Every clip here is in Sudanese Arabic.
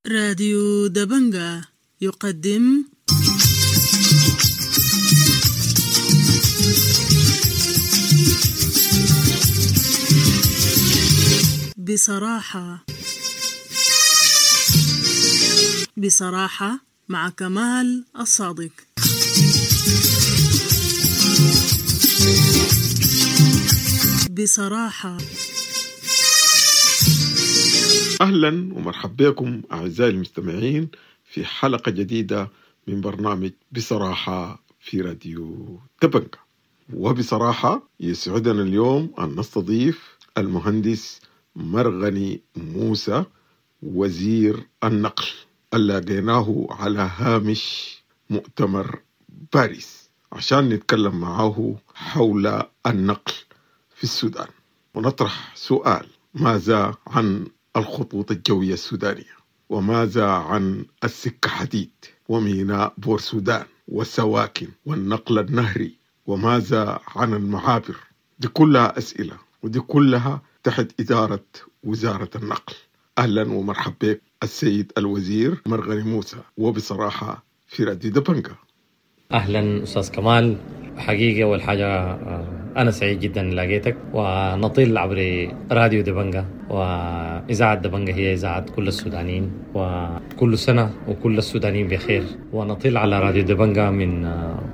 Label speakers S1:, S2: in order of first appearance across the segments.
S1: راديو دبنجة يقدم بصراحة. بصراحة مع كمال الصادق. بصراحة.
S2: أهلا ومرحبا بكم أعزائي المستمعين في حلقة جديدة من برنامج بصراحة في راديو دبنجة. وبصراحة يسعدنا اليوم أن نستضيف المهندس مرغني موسى وزير النقل اللي لقيناه على هامش مؤتمر باريس عشان نتكلم معه حول النقل في السودان ونطرح سؤال: ماذا عن الخطوط الجوية السودانية؟ وماذا عن السكة حديد وميناء بور سودان والسواكن والنقل النهري؟ وماذا عن المعابر؟ دي كلها أسئلة ودي كلها تحت إدارة وزارة النقل. أهلا ومرحبا بك السيد الوزير مرغني موسى، وبصراحة في راديو دبنجة.
S3: أهلا أستاذ كمال، حقيقة أول حاجة أنا سعيد جدا لقيتك، ونطل عبر راديو دبنجة، وإذاعة دبنجة هي إذاعة كل السودانيين، وكل سنة وكل السودانيين بخير. ونطل على راديو دبنجة من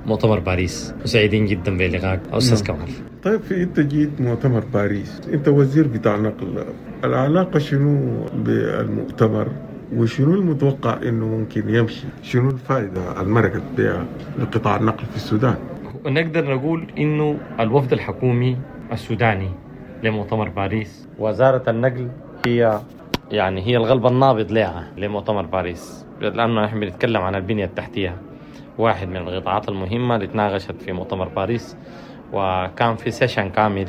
S3: مؤتمر باريس، وسعيدين جدا بلقائك أستاذ كمال.
S2: طيب، في أنت جيت مؤتمر باريس، أنت وزير بتاع نقل، العلاقة شنو بالمؤتمر وشنو المتوقع إنه ممكن يمشي؟ شنو الفائدة المرقت بها لقطاع النقل في السودان؟
S3: ونقدر نقول إنه الوفد الحكومي السوداني لمؤتمر باريس، وزارة النقل هي يعني هي القلب النابض لها لمؤتمر باريس، لأنه نحن بنتكلم عن البنية التحتية، واحد من القطاعات المهمة اللي تناقشت في مؤتمر باريس، وكان في session كامل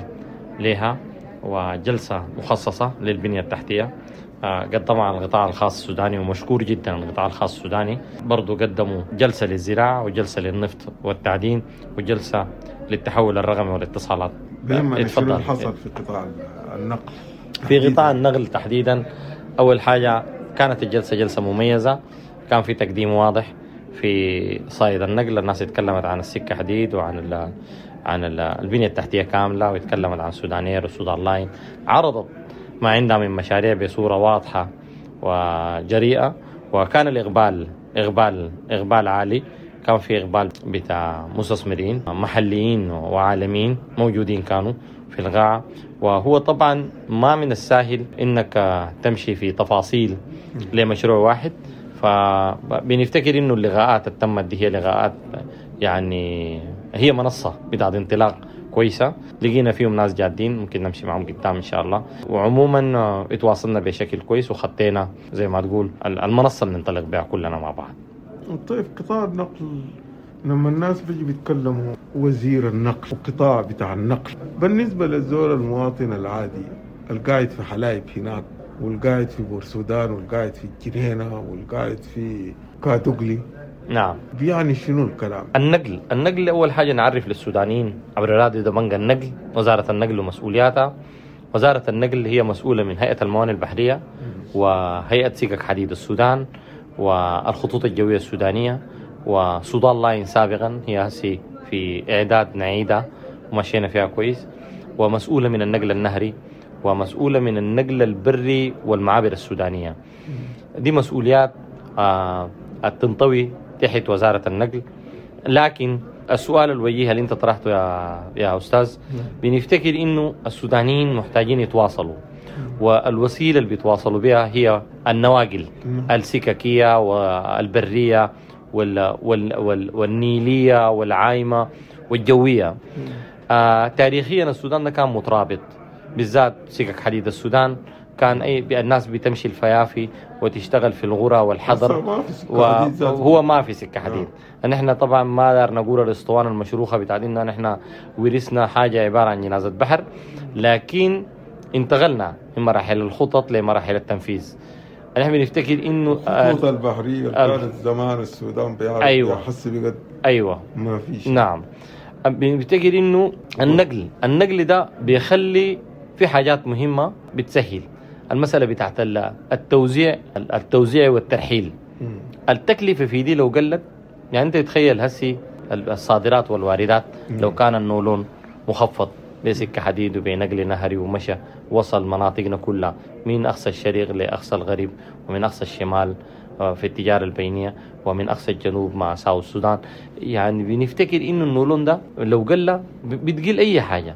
S3: لها وجلسة مخصصة للبنية التحتية. قدمها القطاع الخاص السوداني، ومشكور جدا القطاع الخاص السوداني. برضو قدموا جلسة للزراعة وجلسة للنفط والتعدين وجلسة للتحول الرقمي والاتصالات.
S2: اتفضل. شنو حصل في قطاع النقل؟
S3: في قطاع النقل تحديدا، أول حاجة كانت الجلسة جلسة مميزة، كان في تقديم واضح في صعيد النقل. الناس اتكلمت عن السكة حديد وعن عن البنية التحتية كاملة، واتكلمت عن سودانير وسودان لاين، عرضت ما عندها من مشاريع بصورة واضحة وجريئة، وكان الإقبال إقبال إقبال عالي. كان في إقبال بتاع مستثمرين محليين وعالميين موجودين كانوا في القاعة. وهو طبعا ما من السهل إنك تمشي في تفاصيل لمشروع واحد، فبنفتكر إنه اللقاءات اللي تمت دي هي لقاءات يعني هي منصة بتاعت انطلاق كويسة، لقينا فيهم ناس جادين ممكن نمشي معهم قدام إن شاء الله. وعموما اتواصلنا بشكل كويس وخطينا زي ما تقول المنصة اللي ننطلق بها كلنا مع بعض.
S2: طيب، قطاع النقل لما الناس بيجي بيتكلموا وزير النقل وقطاع بتاع النقل، بالنسبة للزول المواطن العادي القاعد في حلايب هناك والقاعد في بورسودان والقاعد في الجنينة والقاعد في كادوغلي،
S3: نعم،
S2: بيعني شنو الكلام؟
S3: النقل، النقل أول حاجة نعرف للسودانيين عبر راديو دبنجة النقل، وزارة النقل ومسؤولياتها. وزارة النقل هي مسؤولة من هيئة الموانئ البحرية وهيئة سكك حديد السودان والخطوط الجوية السودانية وسودان لاين سابقا، هي هسي في إعداد نعيدة ومشينا فيها كويس، ومسؤولة من النقل النهري ومسؤولة من النقل البري والمعابر السودانية. دي مسؤوليات تنطوي تحت وزارة النقل. لكن السؤال الوجيه اللي انت طرحته يا أستاذ، بنفتكر إنه السودانيين محتاجين يتواصلوا، والوسيلة اللي بيتواصلوا بها هي النواقل السككية والبرية والنيلية والعايمة والجوية. تاريخيا السودان ده كان مترابط، بالذات سكك حديد السودان كان أي الناس بتمشي الفيافي وتشتغل في الغرى والحضر، وهو ما في سكة حديد. نحن طبعا ما دار نقول الاسطوانة المشروخة بتاعت إنه نحن ورثنا حاجة عبارة عن جنازة بحر، لكن انتقلنا من مراحل الخطط لمراحل التنفيذ. نحن بنفتكر إنه
S2: الخطوط البحرية كانت زمان السودان بيعرف، أيوة، يحس بقد،
S3: أيوة،
S2: ما فيش.
S3: نعم، بنفتكر إنه النقل ده بيخلي في حاجات مهمة بتسهل. المسالة بتاعت التوزيع والترحيل. التكلفة في دي لو قلت، يعني انت تتخيل هسي الصادرات والواردات لو كان النولون مخفض بسكة حديد وبنقل نهري ومشى وصل مناطقنا كلها من أقصى الشرق لأقصى الغرب، ومن أقصى الشمال في التجارة البينية، ومن أقصى الجنوب مع ساوث السودان. يعني بنفتكر إنه النولون ده لو قل بتقل أي حاجة.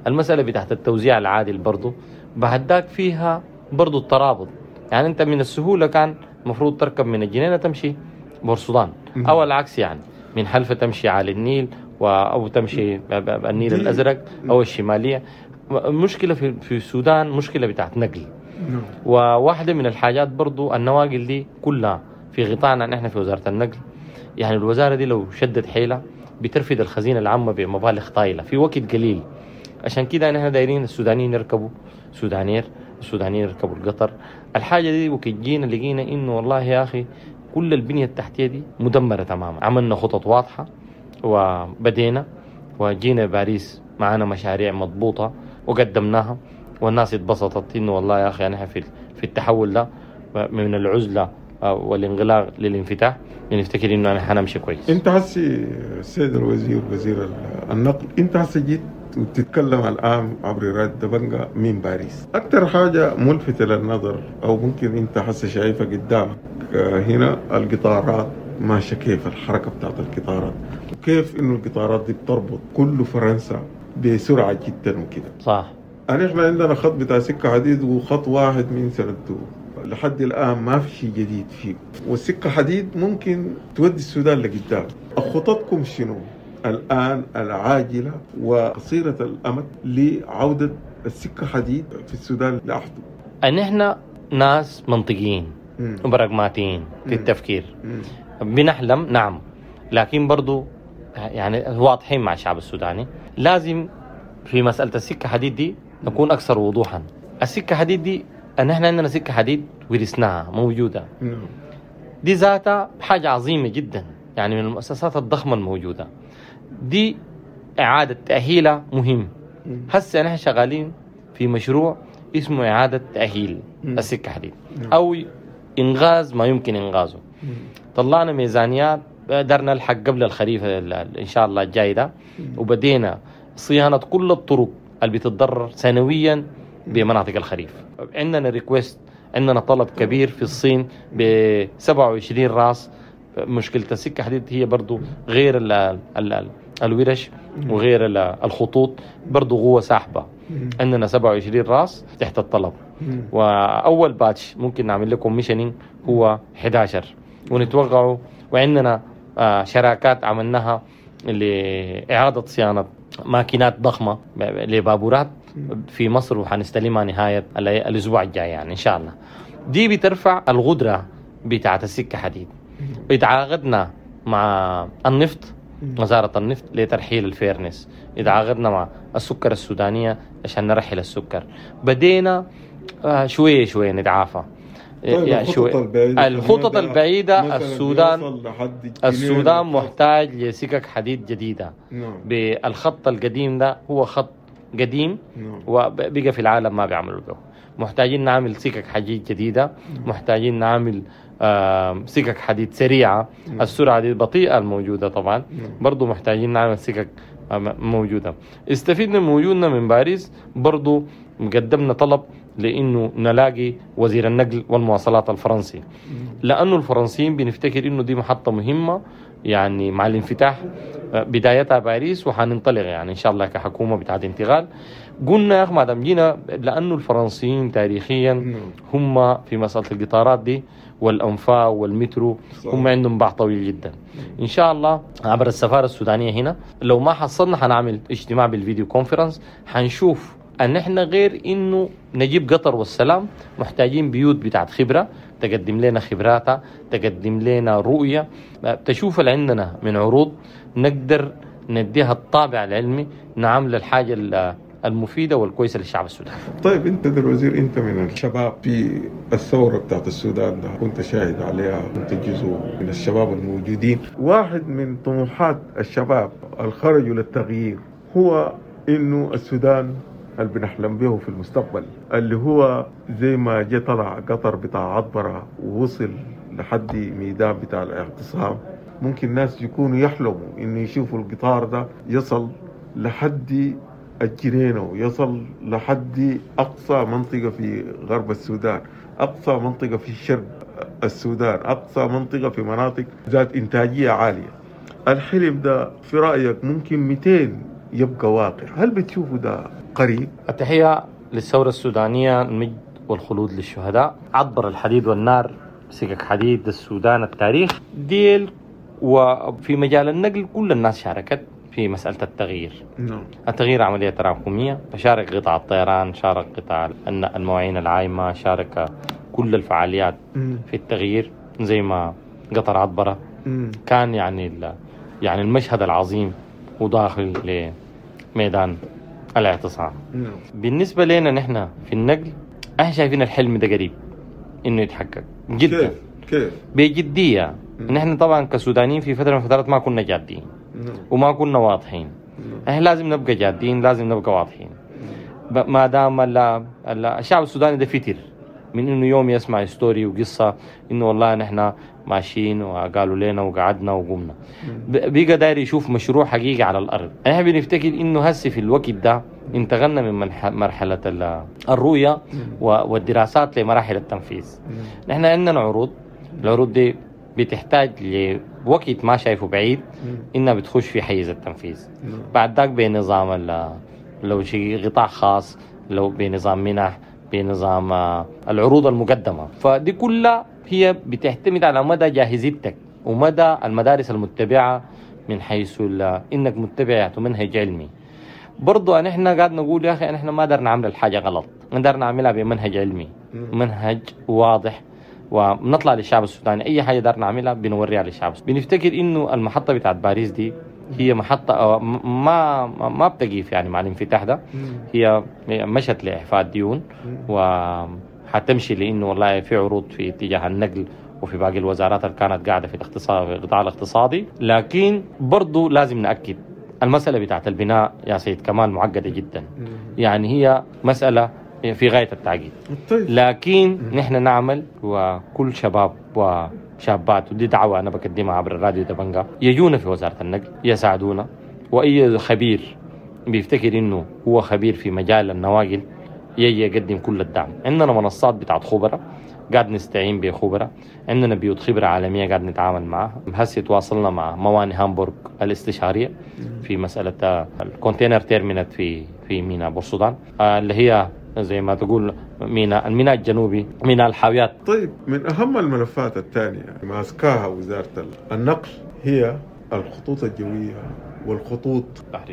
S3: المسألة بتاعت التوزيع العادل برضو بعد ذاك فيها برضو الترابط. يعني أنت من السهولة كان مفروض تركب من الجنينة تمشي بورسودان، أو العكس، يعني من حلفة تمشي على النيل أو تمشي النيل الأزرق أو الشمالية. المشكلة في السودان مشكلة بتاعت نقل. وواحدة من الحاجات برضو النواقل دي كلها في غطانا نحن في وزارة النقل. يعني الوزارة دي لو شدت حيلة بترفد الخزينة العامة بمبالغ طايلة في وقت قليل. عشان كده نحن دايرين السودانيين يركبوا سودانير، السودانيين يركبوا القطر. الحاجة دي وقت جينا لقينا إنه والله يا أخي كل البنية التحتية دي مدمرة تماما. عملنا خطط واضحة وبدينا، وجينا باريس معانا مشاريع مضبوطة وقدمناها، والناس اتبسطت إنه والله يا أخي نحن في التحول ده من العزلة والانغلاق للانفتاح، بنفتكر إنه أنا حنمشي كويس.
S2: أنت هسي السيد الوزير وزير النقل، أنت هسي جيت وتتكلم الآن عبر راديو دبنجا من باريس. أكثر حاجة ملفتة للنظر أو ممكن أنت هسي شايفها قدامك هنا القطارات ماشية كيف، الحركة بتاعت القطارات، وكيف إنه القطارات دي بتربط كل فرنسا بسرعة جدا وكده.
S3: صح.
S2: احنا عندنا خط بتاع سكة حديد وخط واحد من سنته لحد الآن ما في شيء جديد فيه، والسكة حديد ممكن تودي السودان لقدام. خططكم شنو الآن العاجلة وقصيرة الأمد لعودة السكة حديد في السودان لأحده؟
S3: أن احنا ناس منطقيين وبراغماتيين في التفكير. بنحلم نعم، لكن برضو يعني واضحين مع الشعب السوداني. لازم في مسألة السكة حديد دي نكون أكثر وضوحا. السكة حديد دي أن احنا عندنا سكة حديد ورثناها موجودة، دي ذاتها حاجة عظيمة جدا، يعني من المؤسسات الضخمة الموجودة دي. إعادة تأهيلها مهم. هسه نحن شغالين في مشروع اسمه إعادة تأهيل السكة حديد أو إنغاز ما يمكن إنغازه. طلعنا ميزانيات، قدرنا نلحق قبل الخريف إن شاء الله الجاي ده، وبدينا صيانة كل الطرق اللي بتتضرر سنويا بمناطق الخريف. عندنا request، عندنا طلب كبير في الصين ب 27 راس. مشكلة السكة حديد هي برضو غير ال ال الورش وغير الخطوط، برضو قوة ساحبة. عندنا 27 راس تحت الطلب، وأول batch ممكن نعمل لكم commissioning هو 11 ونتوقعه. وعندنا شراكات عملناها لإعادة صيانة ماكينات ضخمة لبابورات في مصر، وحنستلمها نهاية الأسبوع الجاي يعني إن شاء الله. دي بترفع القدرة بتاعة السكة حديد. اتعاقدنا مع النفط، وزارة النفط لترحيل الفيرنس، اتعاقدنا مع السكر السودانية عشان نرحل السكر. بدينا شوية شوية نتعافى.
S2: طيب
S3: يعني الخطط البعيدة السودان محتاج لسكك حديد جديدة.
S2: نعم.
S3: بالخط القديم ده هو خط قديم.
S2: نعم.
S3: وبقى في العالم ما بيعملوا به. محتاجين نعمل سكك حديد جديدة.
S2: نعم.
S3: محتاجين نعمل سكك حديد سريعة.
S2: نعم.
S3: السرعة دي البطيئة الموجودة طبعا.
S2: نعم.
S3: برضو محتاجين نعمل سكك موجودة. استفدنا من وجودنا من باريس، برضو قدمنا طلب لأنه نلاقي وزير النقل والمواصلات الفرنسي، لأنه الفرنسيين بنفتكر إنه دي محطة مهمة يعني مع الانفتاح بدايتها باريس، وحننطلق يعني إن شاء الله كحكومة بتاعت انتقال. قلنا يا أخي ما دام جينا، لأنه الفرنسيين تاريخيا هم في مسألة القطارات دي والأنفاق والمترو هم عندهم باع طويل جدا. إن شاء الله عبر السفارة السودانية هنا لو ما حصلنا حنعمل اجتماع بال video conference، حنشوف أن إحنا غير إنه نجيب قطر والسلام محتاجين بيوت بتاعت خبرة تقدم لنا خبراتها، تقدم لنا رؤية، تشوف اللي عندنا من عروض نقدر نديها الطابع العلمي، نعمل الحاجة المفيدة والكويسة للشعب السوداني.
S2: طيب أنت الوزير، أنت من الشباب في الثورة بتاعت السودان ده، كنت شاهد عليها، كنت جزء من الشباب الموجودين. واحد من طموحات الشباب الخرجوا للتغيير هو إنه السودان اللي بنحلم به في المستقبل، اللي هو زي ما جه طلع قطر بتاع عطبرة ووصل لحد ميدان بتاع الاعتصام، ممكن ناس يكونوا يحلموا إنه يشوفوا القطار ده يصل لحد الجنينة ويصل لحد أقصى منطقة في غرب السودان، أقصى منطقة في شرق السودان، أقصى منطقة في مناطق ذات إنتاجية عالية. الحلم ده في رأيك ممكن 200 يبقى واقع؟ هل بتشوفوا ده قريب؟
S3: التحية للثورة السودانية، المجد والخلود للشهداء. عبر الحديد والنار، سكك حديد السودان التاريخ ديل. وفي مجال النقل كل الناس شاركت في مسألة التغيير.
S2: نعم.
S3: التغيير عملية تراكمية، فشارك قطاع الطيران، شارك قطاع المواعين العايمة، شارك كل الفعاليات في التغيير، زي ما قطر عطبرة كان يعني المشهد العظيم وداخل لميدان الاعتصام.
S2: نعم.
S3: بالنسبة لنا نحن في النقل احنا شايفين الحلم ده قريب انه يتحقق جدا.
S2: كيف؟
S3: بجدية. نحن طبعا كسودانيين في فترة من الفترات ما كنا جادين وما كنا واضحين. احنا لازم نبقى جادين، لازم نبقى واضحين. ما دام الشعب السوداني ده فتر من انه يوم يسمع story وقصة انه والله نحن ماشيين وقالوا لنا وقعدنا وقمنا، بقى داير يشوف مشروع حقيقي على الارض. احنا بنفتكر انه هسه في الوقت ده انتقلنا من مرحلة الرؤية والدراسات لمراحل التنفيذ. نحن عندنا عروض، العروض دي بتحتاج لوقت ما شايفه بعيد انها بتخش في حيز التنفيذ. بعد ذاك بنظام لو شيء قطاع خاص، لو بنظام منح، بنظام العروض المقدمة، فدي كلها هي بتعتمد على مدى جاهزيتك ومدى المدارس المتبعة من حيث انك متبع منهج علمي. برضو نحن قاعد نقول يا اخي نحن ما قدرنا نعمل الحاجة غلط، نقدر نعملها بمنهج علمي، منهج واضح، ونطلع للشعب السوداني اي حاجة دار نعملها بنوريها للشعب. بنفتكر انه المحطة بتاعت باريس دي هي محطة ما بتقيف يعني مع الانفتاح ده، هي مشت لاعفاء الديون وحتمشي لانه والله في عروض في اتجاه النقل وفي باقي الوزارات اللي كانت قاعدة في الاقتصاد، في القطاع الاقتصادي. لكن برضو لازم ناكد المسالة بتاعت البناء يا سيد كمال معقدة جدا، يعني هي مسالة في غاية التعقيد. لكن نحن نعمل، وكل شباب وشابات، ودي دعوة أنا بقدمها عبر الراديو دبنجا، يجونا في وزارة النقل يساعدونا، وأي خبير بيفتكر إنه هو خبير في مجال النواقل يجي يقدم كل الدعم. عندنا منصات بتاعت خبراء قاعد نستعين بخبراء، عندنا بيوت خبرة عالمية قاعد نتعامل معها. هسه تواصلنا مع موانئ هامبورغ الاستشارية في مسألة ال container terminal في ميناء بورسودان، اللي هي زي ما تقول ميناء، الميناء الجنوبي، ميناء الحاويات.
S2: طيب، من أهم الملفات الثانية ماسكاها وزارة النقل هي الخطوط الجوية والخطوط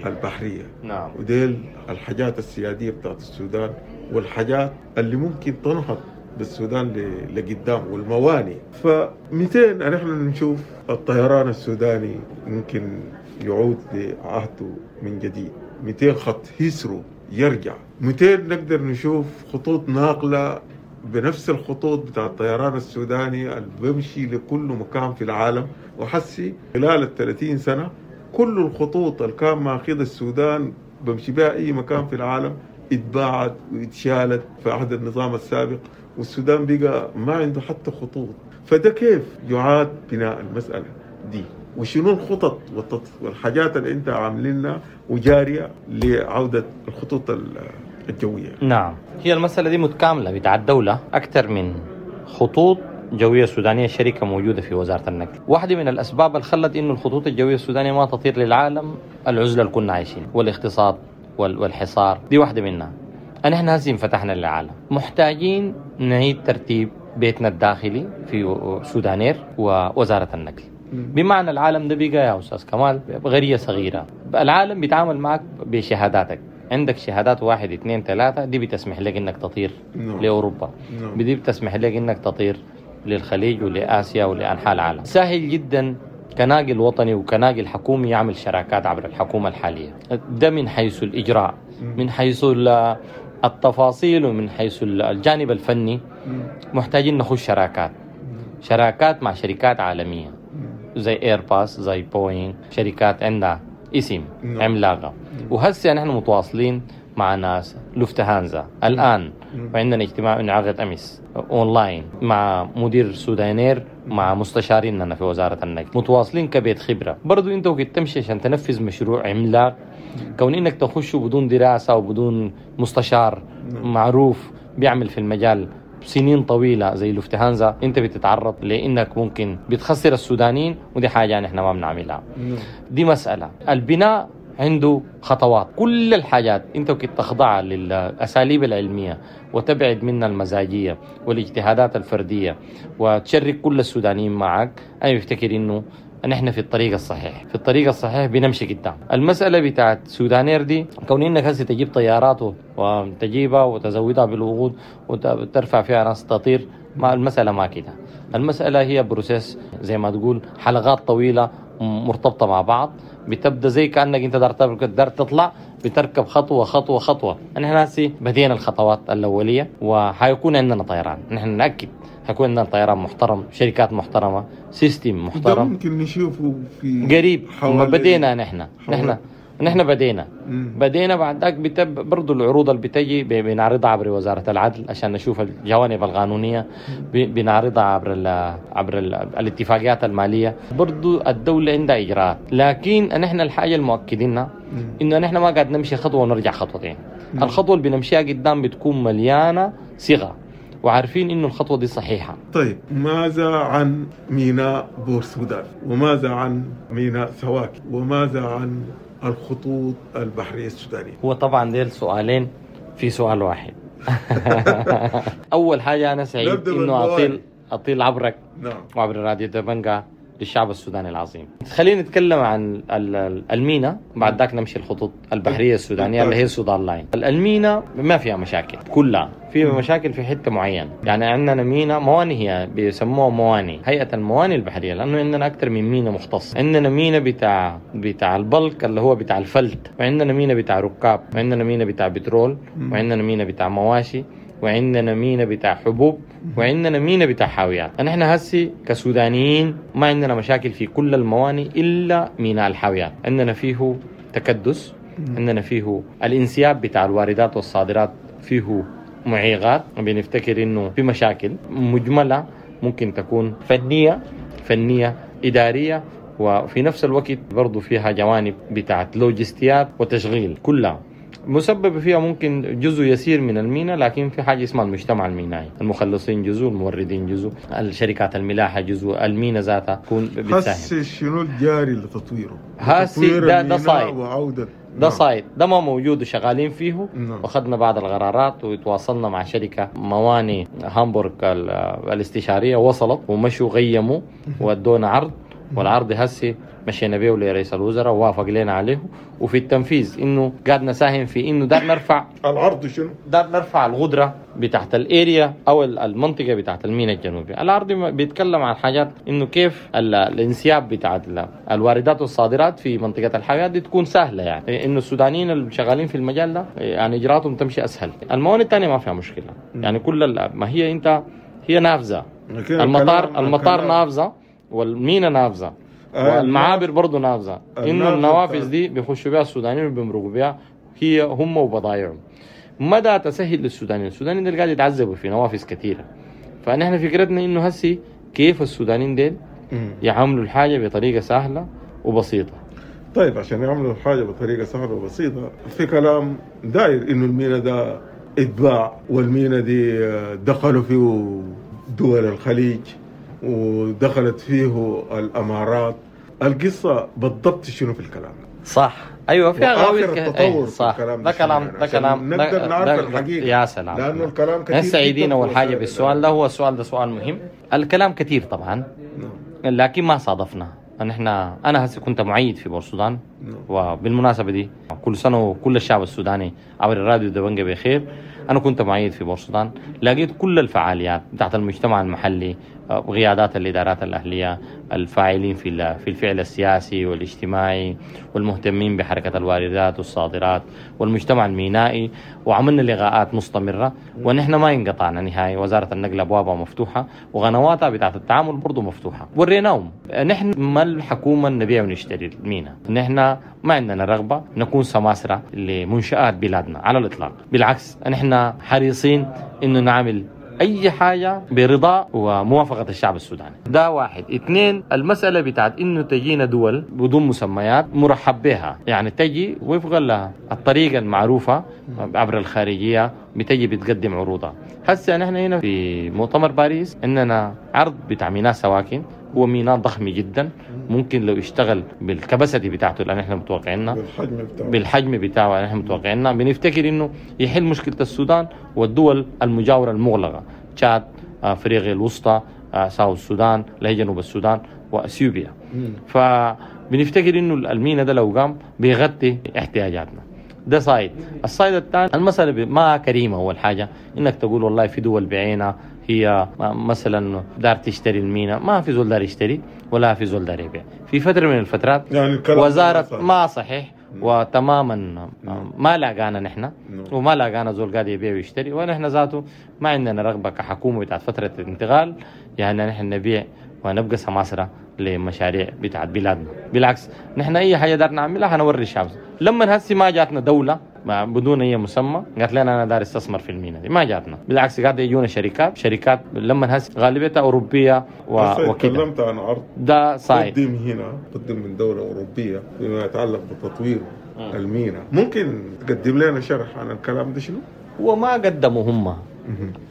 S2: البحرية.
S3: نعم.
S2: وديل الحاجات السيادية بتاعت السودان والحاجات اللي ممكن تنهض بالسودان لقدام والموانئ. ف200 نحن نشوف الطيران السوداني ممكن يعود لعهده من جديد، 200 خط هيسرو يرجع، 200 نقدر نشوف خطوط ناقلة بنفس الخطوط بتاع الطيران السوداني اللي بيمشي لكل مكان في العالم. وحسي خلال 30 سنة كل الخطوط اللي كان ماخذ السودان بمشي بها أي مكان في العالم اتباعت واتشالت في عهد النظام السابق، والسودان بقى ما عنده حتى خطوط. فده كيف يعاد بناء المسألة دي؟ وشنو الخطط والحاجات اللي انت عاملينها وجارية لعودة الخطوط الجوية؟
S3: نعم، هي المسألة دي متكاملة بتاع الدولة، أكثر من خطوط جوية سودانية شركة موجودة في وزارة النقل. واحدة من الأسباب اللي خلت إنه الخطوط الجوية السودانية ما تطير للعالم العزلة اللي كنا عايشين والاقتصاد والحصار، دي واحدة منها. نحن هسه انفتحنا للعالم، محتاجين نعيد ترتيب بيتنا الداخلي في سودانير ووزارة النقل. بمعنى العالم ده بقى يا أستاذ كمال غرية صغيرة، العالم بيتعامل معك بشهاداتك، عندك شهادات 1 2 3 دي بتسمح لك انك تطير لأوروبا، دي بتسمح لك انك تطير للخليج ولآسيا ولأنحاء العالم. سهل جدا كناقل وطني وكناقل حكومي يعمل شراكات عبر الحكومة الحالية، ده من حيث الإجراء، من حيث التفاصيل، ومن حيث الجانب الفني. محتاجين نخش شراكات مع شركات عالمية زي ايرباص، زي بوينغ، شركات عندها اسم عملاقة. وهسه نحن متواصلين مع ناس لوفتهانزا الآن، وعندنا اجتماع انعقد أمس أونلاين مع مدير سودانير، مع مستشاريننا في وزارة النقل، متواصلين كبيت خبرة. برضو انت وقت تمشي عشان تنفذ مشروع عملاق، كون انك تخش بدون دراسة وبدون مستشار معروف بيعمل في المجال سنين طويلة زي لوفتهانزا، انت بتتعرض لانك ممكن بتخسر السودانيين، ودي حاجة نحن ما بنعملها. دي مسألة. البناء عنده خطوات، كل الحاجات انت وقت تخضعها للأساليب العلمية وتبعد منها المزاجية والاجتهادات الفردية وتشرك كل السودانيين معك، انا بفتكر انه نحن في الطريق الصحيح، في الطريق الصحيح بنمشي قدام. المسألة بتاعت سودانير دي، كون انك هسه تجيب طيارات وتجيبها وتزودها بالوقود وترفع فيها ناس تطير، ما المسألة ما كده. المسألة هي process زي ما تقول، حلقات طويلة مرتبطة مع بعض، بتبدأ زي كأنك انت دار تطلع، بتركب خطوة خطوة خطوة. نحن هسه بدينا الخطوات الأولية، وحيكون عندنا طيران، نحن نأكد حيكون عندنا طيران محترم، شركات محترمة، system محترم.
S2: ده ممكن نشوفه في
S3: قريب. بدينا نحن بدينا بدينا بعد ذاك برضو العروض اللي بتجي بنعرضها عبر وزارة العدل عشان نشوف الجوانب القانونية، بنعرضها عبر الاتفاقيات المالية. برضو الدولة عندها إجراءات، لكن نحن الحاجة المؤكدينها إنه نحن ما قاعد نمشي خطوة ونرجع خطوتين. الخطوة اللي بنمشيها قدام بتكون مليانة صيغة، وعارفين إنه الخطوة دي صحيحة.
S2: طيب، ماذا عن ميناء بور سودان؟ وماذا عن ميناء سواكي؟ وماذا عن الخطوط البحرية السودانية؟
S3: هو طبعا ديل سؤالين في سؤال واحد. أول حاجة أنا سعيد إنه أطيل عبرك، نعم، وعبر راديو دبنجا للشعب السوداني العظيم. خلينا نتكلم عن المينا، بعد ذاك نمشي الخطوط البحرية السودانية اللي هي سودان لاين. المينا ما فيها مشاكل كلها، فيها مشاكل في حتة معينة. يعني عندنا مينا مواني، هي بيسموها مواني، هيئة المواني البحرية، لأنه عندنا أكثر من مينا مختص. عندنا مينا بتاع ال bulk اللي هو بتاع الفلت، وعندنا مينا بتاع ركاب، وعندنا مينا بتاع بترول، وعندنا مينا بتاع مواشي، وعندنا مينا بتاع حبوب، وعندنا مينا بتاع حاويات. نحن هسي كسودانيين ما عندنا مشاكل في كل المواني إلا ميناء الحاويات. عندنا فيه تكدس، عندنا فيه الانسياب بتاع الواردات والصادرات فيه معيقات، بنفتكر إنه في مشاكل مجملة ممكن تكون فنية إدارية، وفي نفس الوقت برضو فيها جوانب بتاعت لوجستيات وتشغيل، كلها مسبب فيها ممكن جزء يسير من المينا. لكن في حاجة اسمها المجتمع المينائي، المخلصين جزء، الموردين جزء، الشركات الملاحة جزء، المينا ذاتها تكون بتساهم.
S2: هسه شنو الجاري لتطويره؟
S3: هسه ده site، ده site ده ما موجود وشغالين فيه. واخذنا بعض القرارات وتواصلنا مع شركة مواني هامبورغ الاستشارية، وصلت ومشوا غيموا وادونا عرض، والعرض هسي مشينا بيه لرئيس الوزراء ووافق لنا عليه، وفي التنفيذ انه قاعد نساهم في انه دار نرفع
S2: العرض. شنو
S3: دار نرفع القدرة بتاعت ال area او المنطقة بتاعت الميناء الجنوبي. العرض بيتكلم عن حاجات انه كيف الانسياب بتاعت الواردات والصادرات في منطقة الحاويات دي تكون سهلة، يعني انه السودانيين اللي شغالين في المجال ده يعني اجراءاتهم تمشي اسهل. الموانئ الثانية ما فيها مشكلة، يعني كل ما هي انت هي نافذة، المطار نافذة، والمينا نافذة، والمعابر برضو نافذة. إنه النوافذ دي بيخشوا بها السودانيين وبيمرقوا بها هي هم وبضايعهم. مدى تسهل للسودانيين، السودانيين دول قاعد يتعذبوا في نوافذ كثيرة. فنحن فكرتنا إنه هسي كيف السودانيين دول يعملوا الحاجة بطريقة سهلة وبسيطة.
S2: طيب، عشان يعملوا الحاجة بطريقة سهلة وبسيطة، في كلام داير إنه المينا ده اتباع، والمينا دي دخلوا فيه دول الخليج ودخلت فيه الأمارات. القصة بالضبط شنو في الكلام؟
S3: صح، ايوه، فيها
S2: غاوي التطور.
S3: صح، ده كلام، ده كلام
S2: نقدر نعرف الحقيقة.
S3: يا سلام،
S2: لأنه الكلام كثير.
S3: سعيدين أول حاجة بالسؤال ده، هو السؤال ده سؤال مهم. الكلام كثير طبعا، لكن ما صادفنا. نحن أنا هسه كنت معيد في بورسودان، وبالمناسبة دي كل سنة وكل الشعب السوداني عبر الراديو دبنجة بخير. أنا كنت معيد في بورسودان، لقيت كل الفعاليات بتاعت المجتمع المحلي، قيادات الإدارات الأهلية، الفاعلين في الفعل السياسي والاجتماعي، والمهتمين بحركة الواردات والصادرات، والمجتمع المينائي، وعملنا لقاءات مستمرة، ونحن ما انقطعنا نهائي. وزارة النقل أبوابها مفتوحة، وقنواتها بتاعت التعامل برضو مفتوحة، وريناهم نحن ما الحكومة نبيع ونشتري المينا، نحن ما عندنا رغبة نكون سماسرة لمنشآت بلادنا على الإطلاق. بالعكس نحن حريصين إنه نعمل أي حاجة برضا وموافقة الشعب السوداني. ده واحد. اثنين، المسألة بتاعت إنه تجينا دول بدون مسميات مرحب بها، يعني تجي وفق الطريقة المعروفة عبر الخارجية، بتجي بتقدم عروضها. هسه نحن هنا في مؤتمر باريس عندنا عرض بتاع ميناء سواكن، هو ميناء ضخم جدا، ممكن لو اشتغل بالكبسة بتاعته اللي نحن متوقعينها، بالحجم بتاعه نحن متوقعينها، بنفتكر انه يحل مشكلة السودان والدول المجاورة المغلقة، تشاد، افريقيا الوسطى، ساوث السودان، اللي هي جنوب السودان، واثيوبيا. فبنفتكر انه الميناء ده لو قام بيغطي احتياجاتنا. ده side. ال side الثاني المسألة ما كريمة. أول حاجة إنك تقول والله في دول بعينها هي مثلا دار تشتري المينا، ما في زول دار يشتري ولا في زول دار يبيع. في فترة من الفترات
S2: يعني
S3: وزارة ما صحيح وتماما ما لاقانا نحن، وما لاقانا زول قاعد يبيع ويشتري، ونحن ذاته ما عندنا رغبة كحكومة بتاعت فترة الانتقال يعني نحن نبيع ونبقى سماسرة لمشاريع بتاعت بلادنا. بالعكس نحن أي حاجة دار نعملها حنوري الشعب. لما هسي ما جاتنا دولة بدون أي مسمى قالت لنا أنا دار استثمر في المينا دي، ما جاتنا. بالعكس قاعد يجونا شركات لما هسي غالبيتها أوروبية وكده.
S2: تكلمت عن عرض
S3: ده side
S2: قدم هنا، قدم من دولة أوروبية فيما يتعلق بتطوير المينا. ممكن تقدم لنا شرح عن الكلام ده شنو؟
S3: هو ما قدموا هم،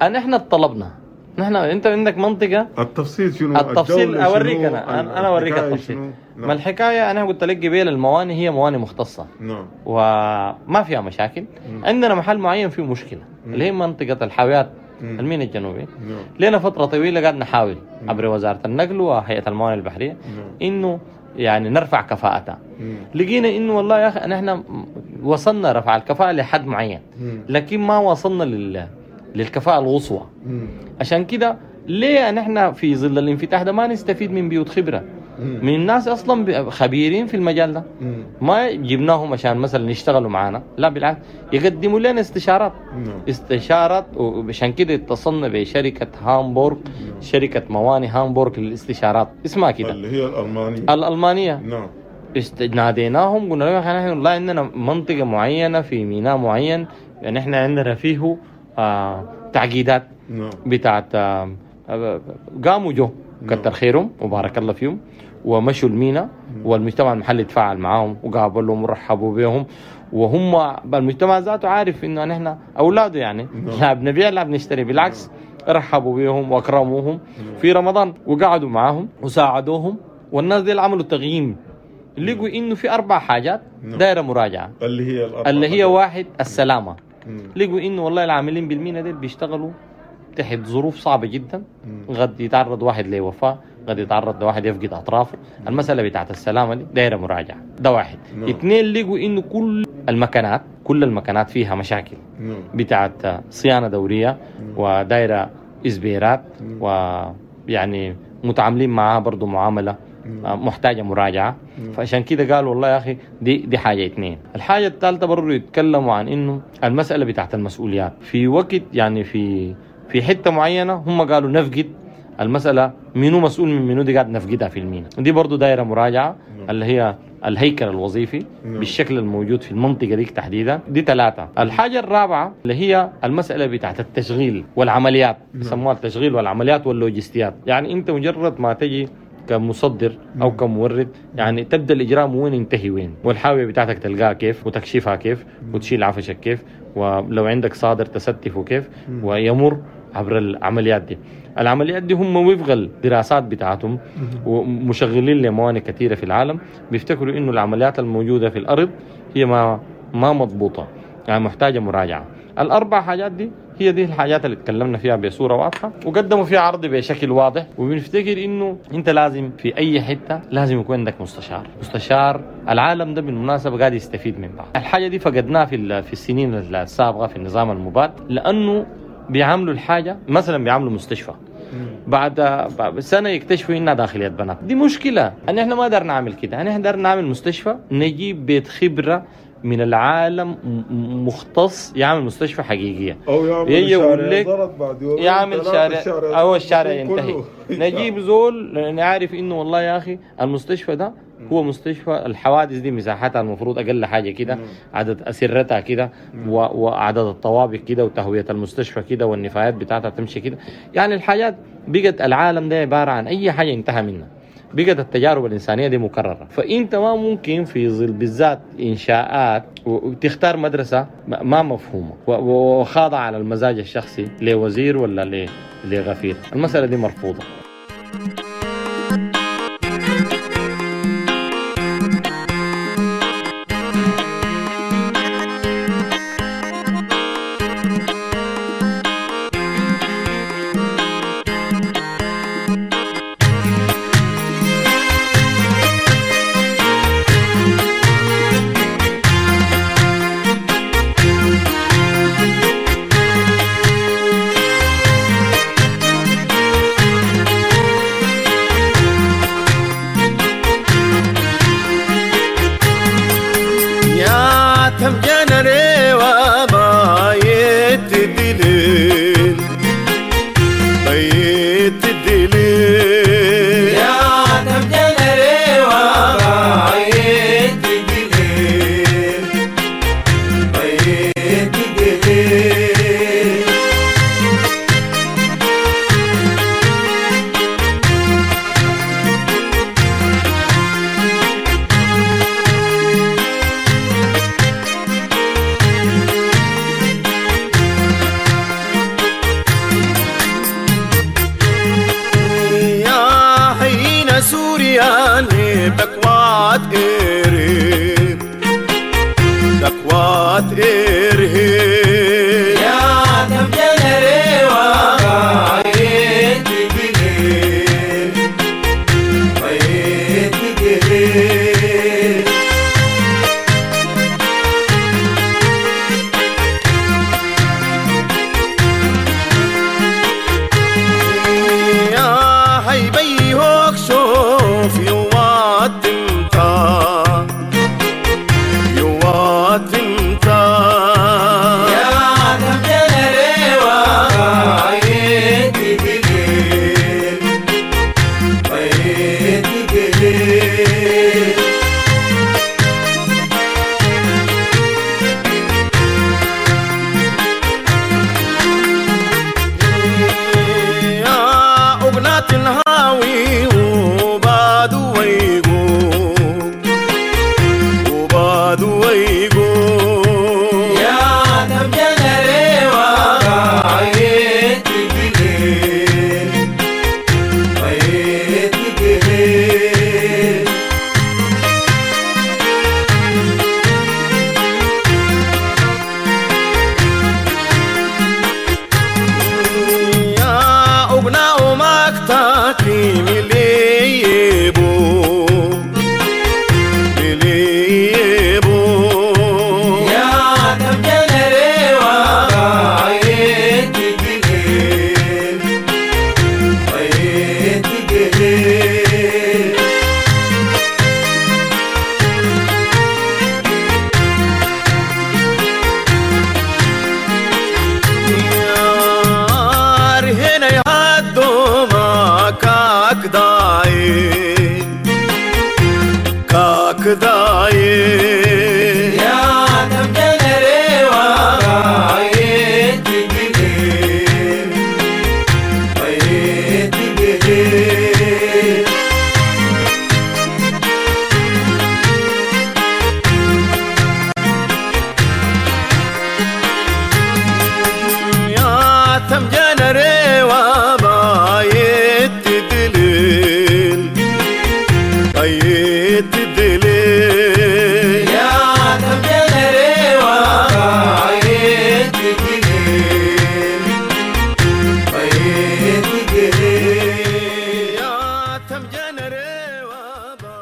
S3: احنا طلبنا. نحن انت عندك منطقة
S2: التفصيل شنو؟
S3: التفصيل اوريك انا اوريك التفصيل. نعم. ما الحكاية انا قلت لك قبيل المواني هي مواني مختصة.
S2: نعم.
S3: وما فيها مشاكل. عندنا محل معين فيه مشكلة اللي هي منطقة الحاويات الميناء الجنوبي.
S2: نعم.
S3: لنا فترة طويلة قاعد نحاول عبر وزارة النقل وهيئة الموانئ البحرية انه يعني نرفع كفاءتها. لقينا انه والله يا اخي نحن وصلنا رفع الكفاءة لحد معين، لكن ما وصلنا للكفاءة القصوى. عشان كده ليه نحن في ظل الانفتاح ده ما نستفيد من بيوت خبرة، من الناس أصلا خبيرين في المجال ده، ما جبناهم عشان مثلا يشتغلوا معنا، لا بالعكس يقدموا لنا استشارات. استشارات. وعشان كده اتصلنا بشركة هامبورغ، شركة مواني هامبورغ للاستشارات اسمها كده،
S2: اللي هي الألمانية. نعم.
S3: ناديناهم قلنا لهم نحن والله عندنا منطقة معينة في ميناء معين، يعني احنا عندنا فيه تعقيدات بتاعت. قاموا جو كتر خيرهم وبارك الله فيهم ومشوا المينا، والمجتمع المحلي تفاعل معاهم وقابلهم ورحبوا بهم، وهم المجتمع ذاته عارف انه نحن اولاده يعني لا بنبيع لا بنشتري، بالعكس رحبوا بهم واكرموهم في رمضان وقعدوا معاهم وساعدوهم. والناس دي عملوا تقييم، لقوا انه في 4 حاجات دايرة مراجعه،
S2: اللي
S3: هي واحد السلامة. لقوا انه والله العاملين بالمينا ديل بيشتغلوا تحت ظروف صعبة جدا، قد يتعرض واحد لوفاة، قد يتعرض لواحد يفقد اطرافه. المسالة بتاعت السلامة دي دايرة مراجعه، ده واحد. اثنين، لقوا انه كل المكانات فيها مشاكل بتاعت صيانة دورية ودايره اسبيرات، ويعني متعاملين معها برضو معاملة محتاجة مراجعة. فعشان كده قالوا والله يا أخي دي حاجة. اثنين. الحاجة الثالثة برضو يتكلموا عن إنه المسألة بتاعت المسؤوليات في وقت يعني في حتة معينة هم قالوا نفقد المسألة، منو مسؤول من منو، دي قاعد نفقدها في المينا. دي برضو دايرة مراجعة اللي هي الهيكل الوظيفي بالشكل الموجود في المنطقة دي تحديدا. دي 3. الحاجة الرابعة اللي هي المسألة بتاعت التشغيل والعمليات، يسموها التشغيل والعمليات واللوجستيات. يعني أنت مجرد ما تجي كمصدر أو كمورد يعني تبدأ الإجرام وين ينتهي وين، والحاوية بتاعتك تلقاها كيف، وتكشفها كيف، وتشيل عفشك كيف، ولو عندك صادر تستفه كيف، ويمر عبر العمليات دي. العمليات دي هم وفق الدراسات بتاعتهم ومشغلين لموانئ كثيرة في العالم بيفتكروا إنه العمليات الموجودة في الأرض هي ما مضبوطة، يعني محتاجة مراجعة. الأربع حاجات دي هي دي الحاجات اللي تكلمنا فيها بصورة واضحة وقدموا فيها عرض بشكل واضح. وبنفتكر إنه أنت لازم في أي حتة لازم يكون عندك مستشار. مستشار العالم ده بالمناسبة قاعد يستفيد من بعض. الحاجة دي فقدناها في السنين السابقة في النظام المباد، لأنه بيعاملوا الحاجة مثلا بيعاملوا مستشفى بعد سنة يكتشفوا إنها داخلية بنات. دي مشكلة. أن إحنا ما دارنا نعمل كده. أن إحنا دارنا نعمل مستشفى، نجيب بيت خبرة من العالم مختص يعمل مستشفى حقيقية،
S2: او يعمل
S3: يجي يقول
S2: شارع
S3: لك
S2: ضرب بعد يومين
S3: يعمل
S2: ثلاثة
S3: شارع
S2: الشارع
S3: او الشارع
S2: يكون
S3: ينتهي.
S2: كله.
S3: نجيب زول نعرف انه والله يا اخي المستشفى ده هو مستشفى الحوادث دي مساحتها المفروض اقل حاجة كده، عدد اسرتها كده، وعدد الطوابق كده، وتهويه المستشفى كده، والنفايات بتاعتها تمشي كده. يعني الحاجات بقت العالم ده عبارة عن اي حاجة انتهى منها، بقت التجارب الإنسانية دي مكررة. فأنت ما ممكن في ظل بالذات إنشاءات وتختار مدرسة ما مفهومة وخاضعة على المزاج الشخصي لوزير ولا لغفير. المسألة دي مرفوضة.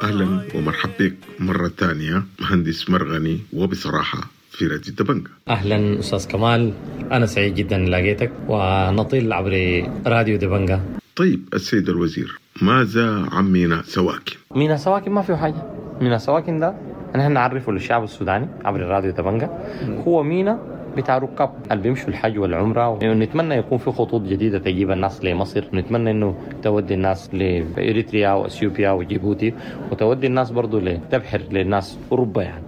S2: اهلا ومرحبا بك مرة ثانية مهندس مرغني، وبصراحة في راديو دبنجة.
S3: اهلا استاذ كمال، انا سعيد جدا لقيتك ونطيل عبر راديو دبنجة.
S2: طيب السيد الوزير، ماذا عن ميناء سواكن؟
S3: ميناء سواكن ما فيه حاجة. ميناء سواكن ده نحن نعرفه للشعب السوداني عبر الراديو دبنجا، هو مينا بتاع ركاب اللي بيمشوا الحج والعمرة. ونتمنى يكون في خطوط جديدة تجيب الناس لمصر، ونتمنى انه تودي الناس لاريتريا واثيوبيا وجيبوتي، وتودي الناس برضو لتبحر للناس اوروبا يعني.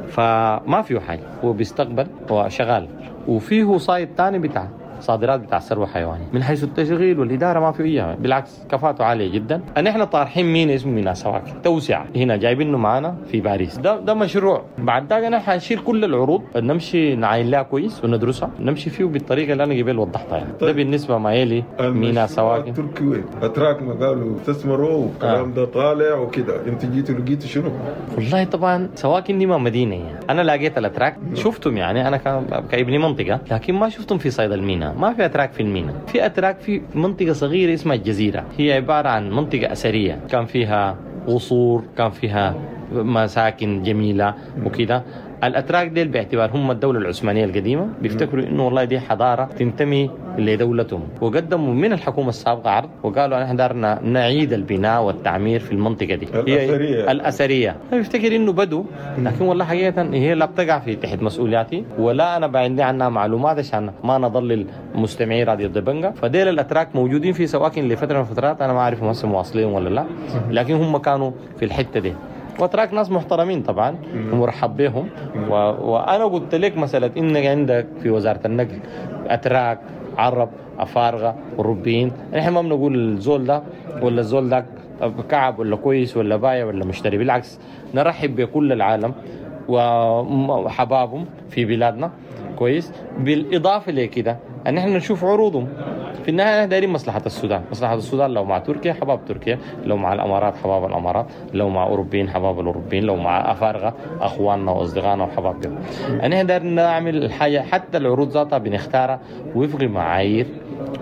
S3: فما فيه حاجة، هو بيستقبل وشغال. وفيه side ثاني بتاع صادرات بتاع ثروة حيوانية. من حيث التشغيل والادارة ما في ايها، بالعكس كفاءته عالية جدا. نحن طارحين مينا اسمه مينا سواكن توسعه، هنا جايبينه معانا في باريس. ده مشروع. بعد ذاك نحن حنشيل كل العروض، نمشي نعاين لها كويس وندرسها، نمشي فيه بالطريقة اللي انا قبل وضحتها يعني.
S2: طيب.
S3: ده بالنسبة ما يلي مينا سواكن.
S2: التركي وين؟ اتراك ما قالوا استثمروا والكلام ده طالع وكده، انت جيتوا لقيتوا شنو؟
S3: والله طبعا سواكن دي ما مدينة يعني. انا لقيت الاتراك شفتهم يعني، انا كابني منطقة، لكن ما شفتهم في صيد المينا. ما في اتراك في المينا، في اتراك في منطقة صغيرة اسمها الجزيرة، هي عبارة عن منطقة اثرية، كان فيها قصور، كان فيها مساكن جميلة وكده. الاتراك ديل باعتبار هم الدولة العثمانية القديمة بيفتكروا انه والله دي حضارة تنتمي لدولتهم، وقدموا من الحكومة السابقة عرض وقالوا نحن دارنا نعيد البناء والتعمير في المنطقة دي
S2: الاثرية.
S3: الاثرية بيفتكر انه بدو، لكن والله حقيقة هي لا بتقع في تحت مسؤولياتي ولا انا عندي عنها معلومات عشان ما نضلل مستمعي راديو دبنجا. فديل الاتراك موجودين في سواكن لفترة من الفترات، انا ما اعرف هم هسه مواصلين ولا لا، لكن هم كانوا في الحتة دي. واتراك ناس محترمين طبعا ومرحب بهم. وانا قلت لك مسالة انك عندك في وزارة النقل اتراك، عرب، افارقه، اوروبيين، نحن ما بنقول الزول ده ولا الزول ده كعب ولا كويس ولا بايع ولا مشتري، بالعكس نرحب بكل العالم وحبابهم في بلادنا كويس. بالاضافة لكده ان احنا نشوف عروضهم. في النهاية احنا دايرين مصلحة السودان، مصلحة السودان لو مع تركيا حباب تركيا، لو مع الامارات حباب الامارات، لو مع اوروبيين حباب الاوروبيين، لو مع افارقه اخواننا واصدقائنا وحبابهم. احنا دايرين نعمل الحاجة، حتى العروض ذاتها بنختارها وفق معايير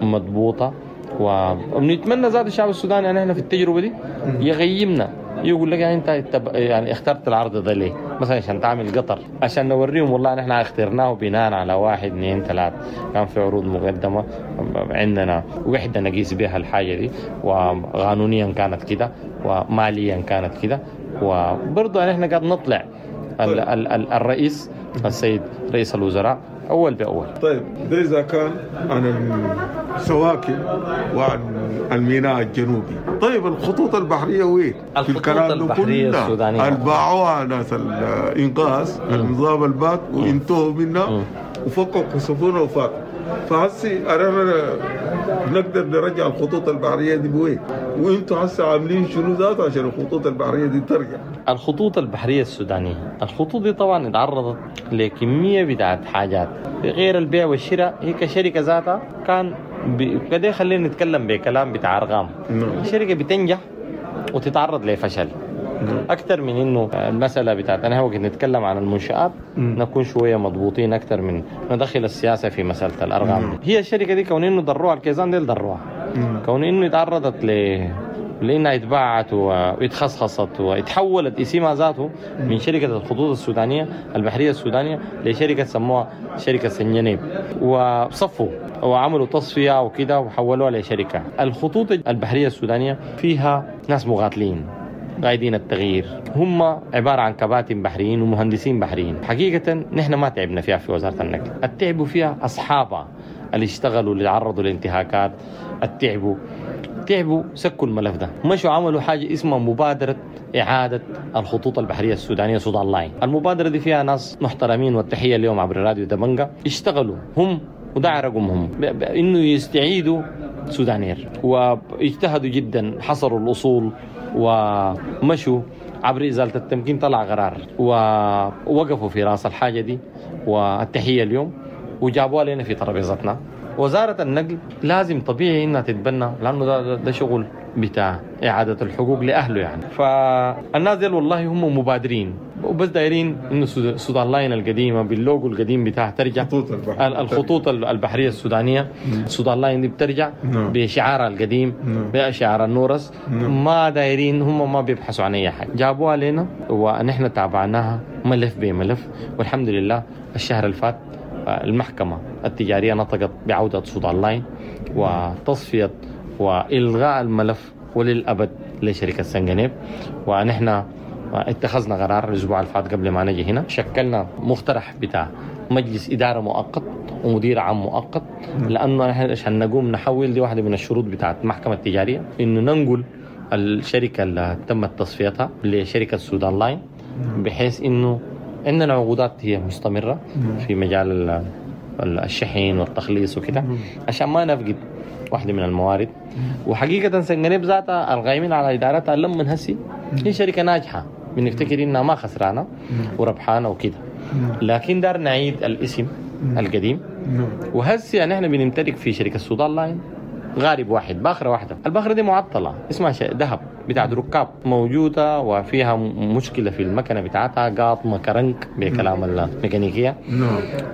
S3: مضبوطة، ونتمنى ذات الشعب السوداني ان احنا في التجربة دي يغيمنا، يقول لك يعني انت يعني اخترت العرض ده ليه؟ مثلا عشان تعمل قطر، عشان نوريهم والله نحن اخترناه بناء على 1 2 3، كان في عروض مقدمه، عندنا وحده نقيس بها الحاجة دي، وقانونيا كانت كده وماليا كانت كده. وبرضه نحن قاعد نطلع الرئيس السيد رئيس الوزراء اول باول.
S2: طيب ده اذا كان عن السواكن وعن الميناء الجنوبي، طيب الخطوط البحرية وين؟
S3: الخطوط البحرية السودانية
S2: الباعوها ناس الانقاذ النظام البات وانتهوا منها وفكوا سفنه وفاتوا. فهسي انا نقدر نرجع الخطوط البحرية دي بوين؟ وانتوا هسه عاملين شنو ذاته عشان الخطوط البحرية دي ترجع؟
S3: الخطوط البحرية السودانية، الخطوط دي طبعا اتعرضت لكميه بتاعت حاجات غير البيع والشراء. هي كشركة ذاتها كان كده، خلينا نتكلم بكلام بتاع ارقام. الشركة بتنجح وتتعرض لفشل اكثر من انه المسالة بتاعت انا وقت نتكلم عن المنشآت نكون شوية مضبوطين اكثر من ندخل السياسة في مسالة الارقام. هي الشركة دي كون انه ضروها الكيزان ديل ضروها، كون انه تعرضت لانها اتباعت واتخصخصت واتحولت اسمها ذاته من شركة الخطوط السودانية البحرية السودانية لشركة سموها شركة سنجنيب، وصفوا وعملوا تصفية وكده وحولوها لشركة. الخطوط البحرية السودانية فيها ناس مغاتلين قايدين التغيير، هم عبارة عن كباتن بحريين ومهندسين بحريين. حقيقة نحن ما تعبنا فيها في وزارة النقل، التعبوا فيها أصحابها اللي اشتغلوا اللي تعرضوا لانتهاكات، التعبوا سكوا الملف ده، مشوا عملوا حاجة اسمها مبادرة إعادة الخطوط البحرية السودانية سودان لاين. المبادرة دي فيها ناس محترمين، والتحية اليوم عبر راديو دبنجا، اشتغلوا هم وده رقمهم إنه يستعيدوا سودانير، واجتهدوا جدا، حصروا الأصول ومشوا عبر إزالة التمكين، طلع قرار ووقفوا في راس الحاجة دي، والتحية اليوم وجابوها لنا في ترابيزتنا. وزارة النقل لازم طبيعي إنها تتبنى، لأنه ده شغل بتاع إعادة الحقوق لأهله يعني. فالناس ديل والله هم مبادرين وبس دايرين إنه سودان لاين القديمة باللوجو القديم بتاعها ترجع، الخطوط البحرية السودانية سودان لاين دي بترجع بشعارها القديم بشعار النورس. ما دايرين، هم ما بيبحثوا عن أي حاجة، جابوها لنا ونحن تابعناها ملف بملف، والحمد لله الشهر الفات المحكمة التجارية نطقت بعودة سودان لاين وتصفية وإلغاء الملف وللأبد لشركة سنجنيب. ونحن اتخذنا قرار الاسبوع اللي فات قبل ما نجي هنا، شكلنا مقترح بتاع مجلس ادارة مؤقت ومدير عام مؤقت، لانه نحن عشان نقوم نحول، دي واحدة من الشروط بتاعت المحكمة التجارية، انه ننقل الشركة اللي تمت تصفيتها لشركة سودان لاين، بحيث انه عندنا عقودات هي مستمرة في مجال الشحن والتخليص وكده، عشان ما نفقد واحدة من الموارد. وحقيقة سنغنيب ذاتها القائمين على ادارتها لما هسي هي شركة ناجحة، بنفتكر انها ما خسرانة وربحانه وكده، لكن دار نعيد الاسم القديم. وهسي يعني احنا بنمتلك في شركة السودان لاين غارب واحد، باخره واحدة، الباخرة دي معطلة اسمها ذهب بتاعت ركاب موجودة، وفيها مشكلة في المكنه بتاعتها، قاطمه كرنك بكلام الميكانيكية،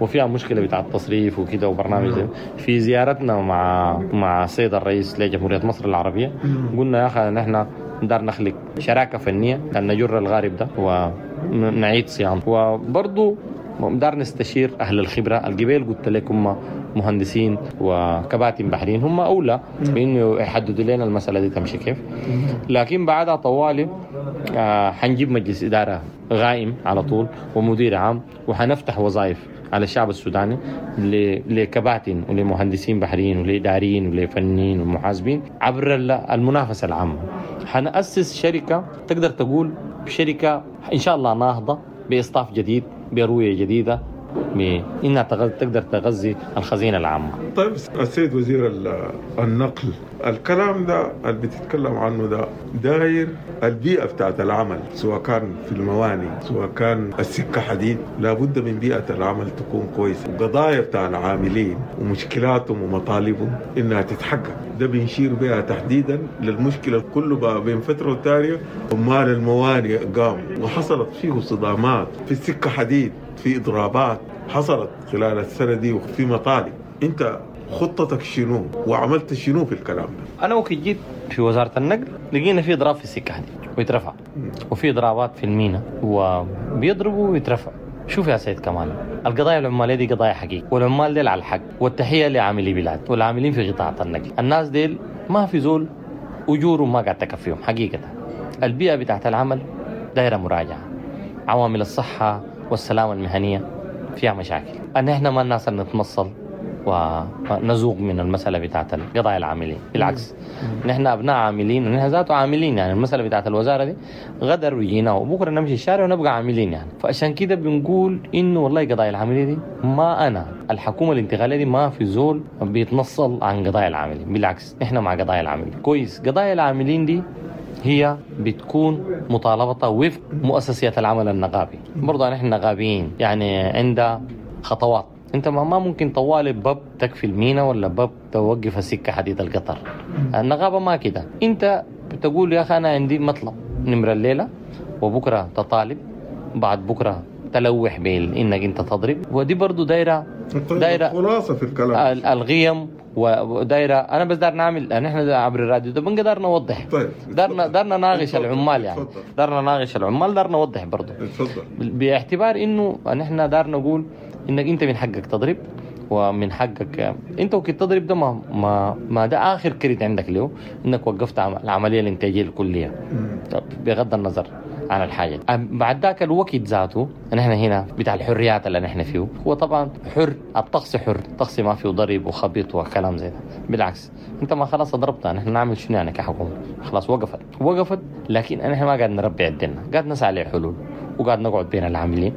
S3: وفيها مشكلة بتاعت تصريف وكده وبرنامج زي. في زيارتنا مع السيد الرئيس لجمهوريه مصر العربية قلنا يا اخي نحن دار نخلق شراكة فنية أن نجر الغارب ده ونعيد صيانته، وبرضه دار نستشير اهل الخبرة القبيل، قلت لكم هم مهندسين وكباتن بحريين، هم اولى بانه يحددوا لنا المسالة دي تمشي كيف. لكن بعدها طوالي حنجيب مجلس ادارة غائم على طول ومدير عام، وحنفتح وظائف على الشعب السوداني لكباتن ولمهندسين بحريين ولاداريين ولفنيين ومحاسبين عبر المنافسة العامة. حنأسس شركة تقدر تقول شركة ان شاء الله ناهضه باصطاف جديد، برؤية جديدة، بانها تقدر تغذي الخزينة العامة.
S2: طيب السيد وزير النقل، الكلام ده اللي بتتكلم عنه ده داير البيئة بتاعت العمل، سواء كان في المواني سواء كان السكة حديد، لابد من بيئة العمل تكون كويسة، وقضايا بتاع العاملين ومشكلاتهم ومطالبهم إنها تتحقق. ده بنشير بها تحديدا للمشكلة كله بقى بين فترة والتانية عمال الموانئ قاموا وحصلت فيه صدامات في السكة حديد، في إضرابات حصلت خلال السنة دي وفي مطالب. أنت خطتك شنو وعملت شنو في الكلام ده؟
S3: انا وقت جيت في وزارة النقل لقينا في اضراب في السكة حديد ويترفع، وفي اضرابات في المينا وبيضربوا ويترفع. شوف يا سيد كمال، القضايا العماليه دي قضايا حقيقية، والعمال ديل على الحق، والتحيه لعاملي بلاد والعاملين في قطاع النقل. الناس ديل ما في زول اجورهم ما قاعد تكفيهم حقيقة. البيئة بتاعت العمل دايرة مراجعه، عوامل الصحة والسلامة المهنية فيها مشاكل. ان احنا ما الناس اللي نتمصل ونزوغ من المسألة بتاعت القضايا العاملين، بالعكس نحن أبناء عاملين ونحن ذاته عاملين. يعني المسألة بتاعت الوزارة دي غدر وجينا وبكرة نمشي الشارع ونبقى عاملين يعني. فعشان كده بنقول إنه والله قضايا العاملين دي ما أنا الحكومة الانتقالية دي ما في زول بيتنصل عن قضايا العاملين، بالعكس نحن مع قضايا العاملين. كويس، قضايا العاملين دي هي بتكون مطالبتها وفق مؤسسية العمل النقابي. برضه نحن نقابيين يعني، عندها خطوات. انت ما ممكن طوالي باب تكفي المينا ولا باب توقف السكة حديد القطر. النقابة ما كده، انت بتقول يا اخي انا عندي مطلب نمره الليلة، وبكره تطالب، بعد بكره تلوح بانك انت تضرب. ودي برضو دايرة
S2: طيب
S3: دايرة
S2: خلاصه في الكلام
S3: الغيم ودايره. انا بس دار نعمل نحن عبر الراديو ده بنقدر نوضح.
S2: طيب
S3: دارنا نناقش العمال يعني، دارنا نناقش العمال، دارنا نوضح برضو.
S2: اتفضل.
S3: باعتبار انه نحن دار نقول انك انت من حقك تضرب، ومن حقك انت وكنت تضرب ده ما ده اخر كريت عندك له انك وقفت العملية الانتاجية الكلية. طب بغض النظر عن الحاجة، بعد ذاك الوقت ذاته نحن هنا بتاع الحريات اللي نحن فيه، هو طبعا حر، الطقس حر، الطقس ما فيه ضرب وخبيط وكلام زي ده. بالعكس انت ما خلاص ضربتها، نحن نعمل شنو يعني كحكومة؟ خلاص وقفت، لكن نحن ما قاعد نربي عندنا، قاعد نسعى لحلول، وقاعد نقعد بين العاملين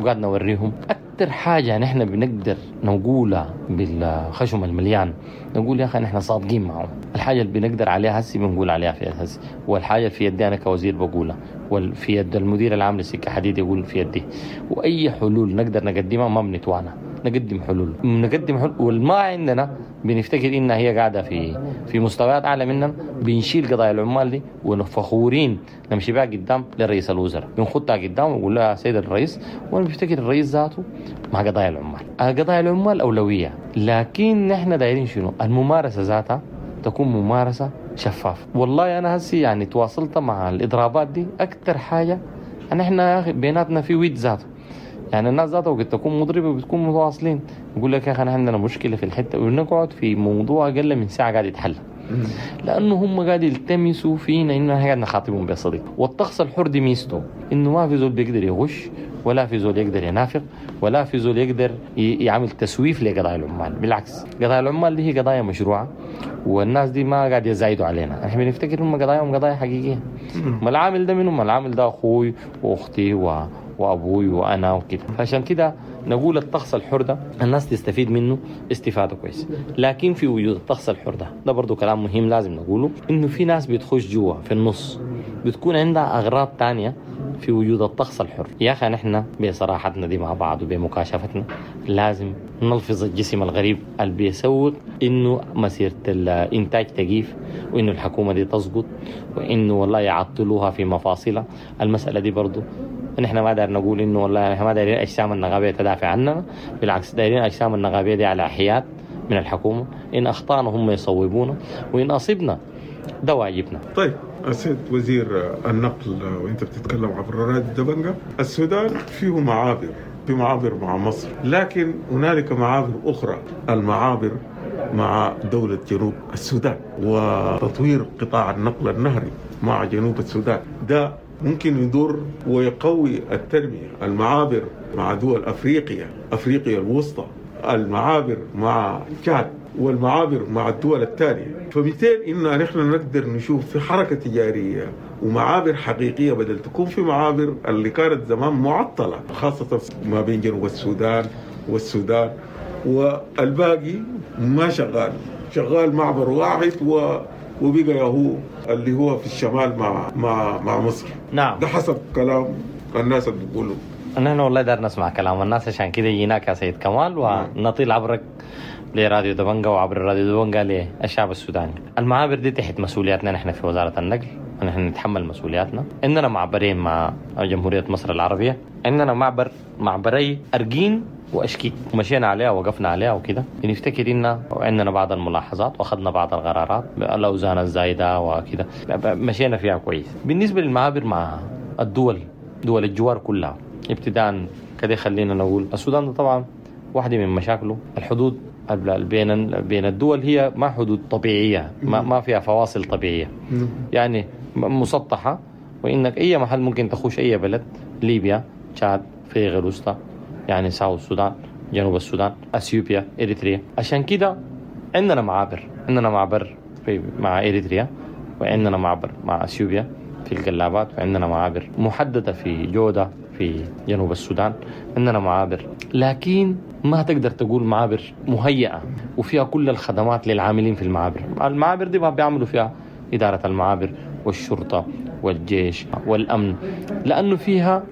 S3: وقاعد نوريهم. أكثر حاجة نحن بنقدر نقولها بالخشم المليان، نقول يا أخي نحن صادقين معهم. الحاجة اللي بنقدر عليها هسي بنقول عليها في هسي، والحاجة اللي في يدي أنا كوزير بقولها، وفي يد المدير العام للسكة حديد يقول في يدي. وأي حلول نقدر نقدمها ما بنتوانا، نقدم حلول، نقدم حلول. والما عندنا بنفتكر إنها هي قاعدة في مستويات أعلى مننا، بنشيل قضايا العمال دي ونفخورين نمشي بها قدام للرئيس الوزراء، بنخطها قدام ونقول لها سيد الرئيس. وأنا بفتكر الرئيس ذاته مع قضايا العمال، قضايا العمال أولوية، لكن نحن دايرين شنو؟ الممارسة ذاتها تكون ممارسة شفافة. والله أنا هسي يعني تواصلت مع الإضرابات دي أكثر حاجة نحن يا أخي بيناتنا في ويد ذاته، يعني الناس ذاتها وقت تكون مضربة بتكون متواصلين، يقول لك يا أخي نحن عندنا مشكلة في الحتة، ونقعد في موضوع أقل من ساعة قاعد يتحل. لانه هم قاعد يلتمسوا فينا انه احنا قاعد نخاطبهم بصدق. والطقس الحر دي ميزته انه ما في زول بيقدر يغش، ولا في زول يقدر ينافق، ولا في زول يقدر يعمل تسويف لقضايا العمال. بالعكس، قضايا العمال دي هي قضايا مشروعه، والناس دي ما قاعد يزايدوا علينا. احنا بنفتكر هم قضاياهم قضايا حقيقية. ما العامل ده منهم، العامل ده اخوي واختي وابوي وانا وكده. فعشان كده نقول الطقس الحر ده الناس تستفيد منه استفاده كويسة. لكن في وجود الطقس الحر ده برضه كلام مهم لازم نقوله، انه في ناس بتخش جوا في النص بتكون عندها اغراض تانية في وجود الطقس الحر. يا اخي نحن بصراحتنا دي مع بعض وبمكاشفتنا لازم نلفظ الجسم الغريب اللي بيسوق انه مسيره الانتاج تقيف، وانه الحكومة دي تسقط، وانه والله يعطلوها في مفاصلها. المسالة دي برضه نحن ما داير نقول انه والله نحن ما دايرين اجسام النغابيه تدافع عننا، بالعكس دايرين اجسام النغابيه دي على حياد من الحكومة. ان اخطانا هم يصوبونا، وان اصبنا ده واجبنا.
S2: طيب السيد وزير النقل، وانت بتتكلم عبر راديو دبنجة، السودان فيه معابر، في معابر مع مصر، لكن هنالك معابر أخرى، المعابر مع دولة جنوب السودان وتطوير قطاع النقل النهري مع جنوب السودان ده ممكن يدور ويقوي التنمية. المعابر مع دول أفريقيا، أفريقيا الوسطى، المعابر مع تشاد، والمعابر مع الدول الثانية. فبالتالي إن نحن نقدر نشوف في حركة تجارية ومعابر حقيقية بدل تكون في معابر اللي كانت زمان معطلة، خاصة ما بين جنوب السودان والسودان، والباقي ما شغال، شغال معبر واحد وبقى هو اللي هو في الشمال مع مع مع مصر.
S3: نعم،
S2: ده حسب كلام الناس اللي بيقولوا.
S3: نحن والله دار نسمع كلام الناس، عشان كده جيناك يا سيد كمال ونطيل عبرك لراديو دبنجة وعبر راديو دبنجة للشعب السوداني. المعابر دي تحت مسؤولياتنا نحن في وزارة النقل، ونحن نتحمل مسؤولياتنا. عندنا معبرين مع جمهورية مصر العربية، عندنا معبري أرجين وأشكيت، مشينا عليها وقفنا عليها وكده. نفتكر إن عندنا بعض الملاحظات وأخذنا بعض القرارات، الأوزان الزايدة وكده، مشينا فيها كويس. بالنسبة للمعابر مع الدول، دول الجوار كلها، ابتداء كده خلينا نقول السودان ده طبعا واحدة من مشاكله الحدود بين الدول هي ما حدود طبيعية، ما فيها فواصل طبيعية، يعني مسطحة، وإنك أي محل ممكن تخش أي بلد، ليبيا، تشاد، افريقيا الوسطى، يعني ساوث السودان، جنوب السودان، اثيوبيا، اريتريا. عشان كده عندنا معابر، عندنا معبر مع اريتريا، وعندنا معبر مع اثيوبيا في القلابات، وعندنا معابر محددة في جودة في جنوب السودان، عندنا معابر، لكن ما تقدر تقول معابر مهيئة وفيها كل الخدمات للعاملين في المعابر. المعابر دي ما بيعملوا فيها إدارة المعابر والشرطة والجيش والأمن، لأنه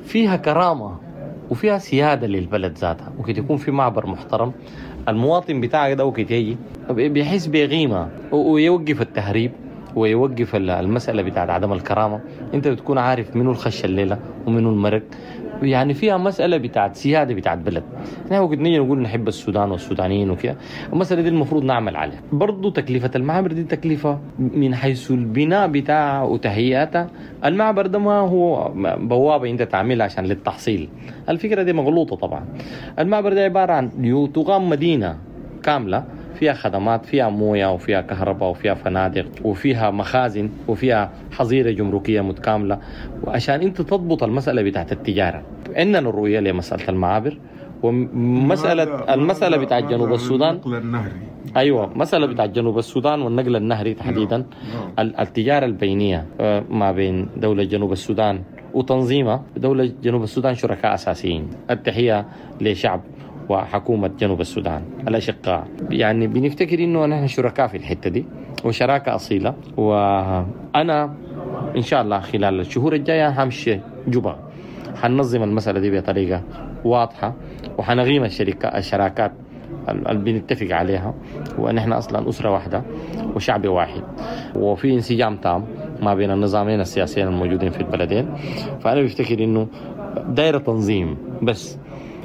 S3: فيها كرامة وفيها سيادة للبلد ذاتها. وكي يكون في معبر محترم، المواطن بتاعك ده وكي يجي بيحس بقيمة، ويوقف التهريب ويوقف المسألة بتاعت عدم الكرامة. انت بتكون عارف منو الخش الليلة ومنو المرق، يعني فيها مسألة بتاعت سيادة بتاعت بلد. احنا وقت نيجي نقول نحب السودان والسودانيين وكده، المسألة دي المفروض نعمل عليها. برضو تكلفة المعابر دي تكلفة من حيث البناء بتاعها وتهيئتها. المعبر ده ما هو بوابة انت تعملها عشان للتحصيل، الفكرة دي مغلوطة طبعا. المعبر ده عبارة عن تقام مدينة كاملة فيها خدمات، فيها موية وفيها كهرباء وفيها فنادق وفيها مخازن وفيها حظيرة جمركية متكاملة، وعشان انت تضبط المسألة بتاعت التجارة. عندنا الرؤية لمسألة المعابر ومسألة المسألة بتاعت جنوب السودان،
S2: النقل النهري.
S3: ايوه، مسألة بتاعت جنوب السودان والنقل النهري تحديدا، التجارة البينية ما بين دولة جنوب السودان وتنظيمها. دولة جنوب السودان شركاء أساسيين. التحية لشعب وحكومة جنوب السودان الأشقاء. يعني بنفتكر إنه نحن شركاء في الحتة دي وشراكة أصيلة. وأنا إن شاء الله خلال الشهور الجاية همشي جوبا، حننظم المسألة دي بطريقة واضحة، وحنغيم الشراكات اللي بنتفق عليها، ونحن أصلا أسرة واحدة وشعب واحد، وفي انسجام تام ما بين النظامين السياسيين الموجودين في البلدين. فأنا بفتكر إنه دائرة تنظيم بس،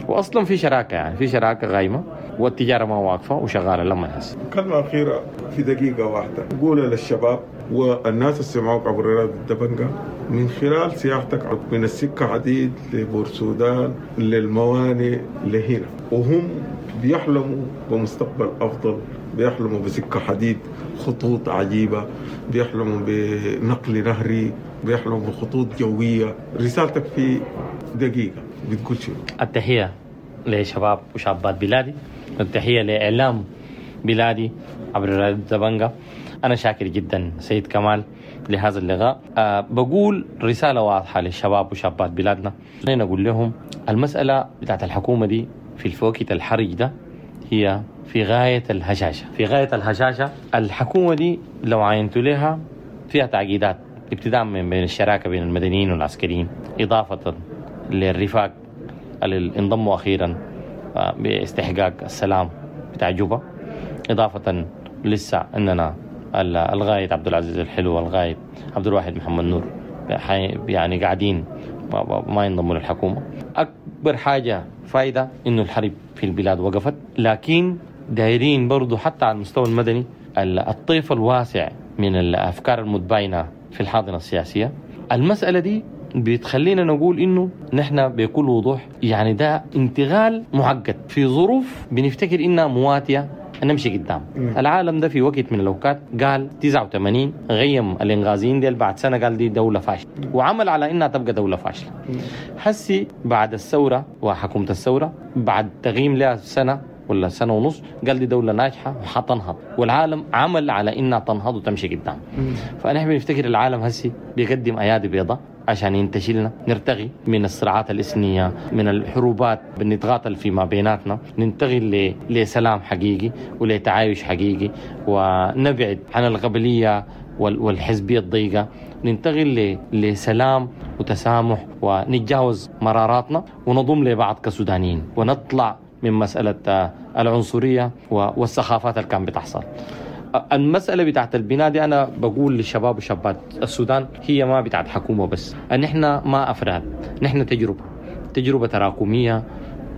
S3: واصلا في شراكة، يعني في شراكة غايمه والتجارة ما واقفة وشغالة لما نحس.
S2: كلمة اخيرة في دقيقة واحدة قولها للشباب والناس اللي سمعوك عبر راديو الدبنجة من خلال سياحتك من السكة حديد لبور سودان للموانئ لهنا، وهم بيحلموا بمستقبل افضل، بيحلموا بسكه حديد بخطوط عجيبة، بيحلموا بنقل نهري، بيحلموا بخطوط جوية. رسالتك في دقيقة بتقول شنو؟
S3: التحية لشباب وشابات بلادي، والتحية لإعلام بلادي عبر راديو دبنجا. أنا شاكر جدا سيد كمال لهذا اللقاء. بقول رسالة واضحة للشباب وشابات بلادنا، خلينا نقول لهم المسألة بتاعت الحكومة دي في الفوكت الحرج ده هي في غاية الهشاشة، في غاية الهشاشة. الحكومة دي لو عينتوا لها فيها تعقيدات، ابتداء من بين الشراكة بين المدنيين والعسكريين، إضافة للرفاق اللي انضموا أخيرا باستحقاق السلام بتاع جوبا، إضافة لسه أننا الغاية عبد العزيز الحلو والغاية عبد الواحد محمد نور يعني قاعدين ما ينضموا للحكومة. أكبر حاجة فايدة إنه الحرب في البلاد وقفت، لكن دايرين برضو حتى على المستوى المدني الطيف الواسع من الأفكار المتباينة في الحاضنة السياسية. المسألة دي بتخلينا نقول إنه نحن بكل وضوح يعني ده انتقال معقد في ظروف بنفتكر إنها مواتية نمشي قدام. العالم ده في وقت من الأوقات قال 89 غيم الإنغازيين ديل، بعد سنة قال دي دولة فاشلة، وعمل على إنها تبقى دولة فاشلة. حسي بعد الثورة وحكومة الثورة بعد تغييم لها سنة ولا سنة ونص قال دي دولة ناجحة وحتنهض، والعالم عمل على إنها تنهض وتمشي قدام. فنحن بنفتكر العالم هسي بيقدم أيادي بيضاء عشان ينتشلنا، نرتقي من الصراعات الإثنية، من الحروبات بنتقاتل فيما بيناتنا، ننتقل لسلام حقيقي ولتعايش حقيقي، ونبعد عن القبلية والحزبية الضيقة، ننتقل لسلام وتسامح، ونتجاوز مراراتنا ونضم لبعض كسودانيين، ونطلع من مسألة العنصرية والسخافات اللي كان بتحصل. المسألة بتاعت البناء دي أنا بقول للشباب وشابات السودان هي ما بتاعت حكومة بس، أن إحنا ما أفراد، نحن تجربة تراكمية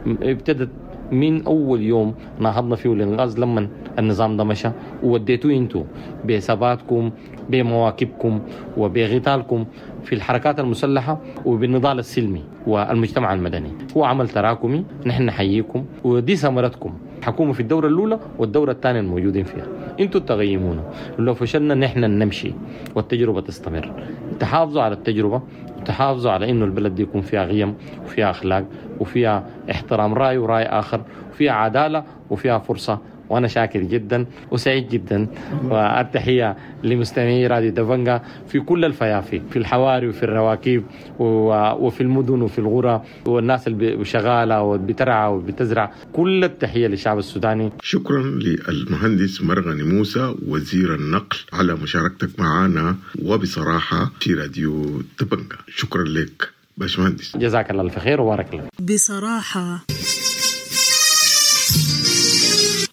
S3: ابتدت من أول يوم نهضنا فيه الإنغاز لما النظام ده مشى، ووديتوه انتو بثباتكم بمواكبكم وبغتالكم في الحركات المسلحة وبالنضال السلمي والمجتمع المدني. هو عمل تراكمي، نحن نحييكم ودي ثمرتكم، حكومة في الدورة الأولى والدورة الثانية الموجودين فيها انتوا تغيمونا، لو فشلنا نحن نمشي والتجربة تستمر. تحافظوا على التجربة، تحافظوا على انه البلد دي يكون فيها قيم وفيها أخلاق وفيها احترام رأي ورأي آخر، وفيها عدالة وفيها فرصة. وأنا شاكر جدا وسعيد جدا، والتحية لمستمعي راديو دبنجا في كل الفيافي، في الحواري وفي الرواكيب وفي المدن وفي الغرى، والناس اللي شغالة وبترعى وبتزرع، كل التحية للشعب السوداني.
S2: شكرا للمهندس مرغني موسى وزير النقل على مشاركتك معنا وبصراحة في راديو دبنجا. شكرا لك باشمهندس،
S3: جزاك الله الف خير وبارك لك.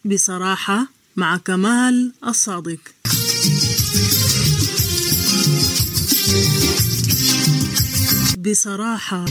S1: بصراحة مع كمال الصادق. بصراحة.